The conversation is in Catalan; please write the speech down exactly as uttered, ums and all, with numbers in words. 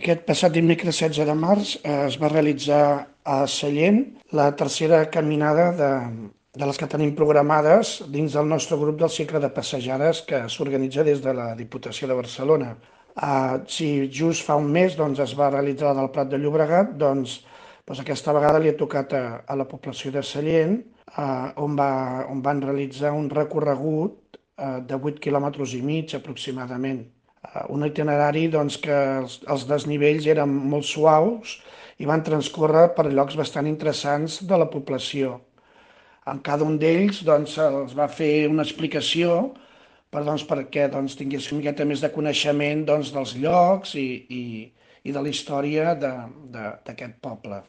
Aquest passat dimecres setze de març eh, es va realitzar a Sallent la tercera caminada de, de les que tenim programades dins del nostre grup del cicle de passejades que s'organitza des de la Diputació de Barcelona. Uh, si just fa un mes doncs, es va realitzar la del Prat de Llobregat, doncs, doncs aquesta vegada li ha tocat a, a la població de Sallent, uh, on, va, on van realitzar un recorregut uh, de vuit quilòmetres i mig aproximadament. Eh, un itinerari doncs, que els, els desnivells eren molt suaus i van transcórrer per llocs bastant interessants de la població. En cada un d'ells doncs, els va fer una explicació per, doncs, perquè doncs, tingués una miqueta més de coneixement doncs, dels llocs i, i, i de la història d'aquest poble.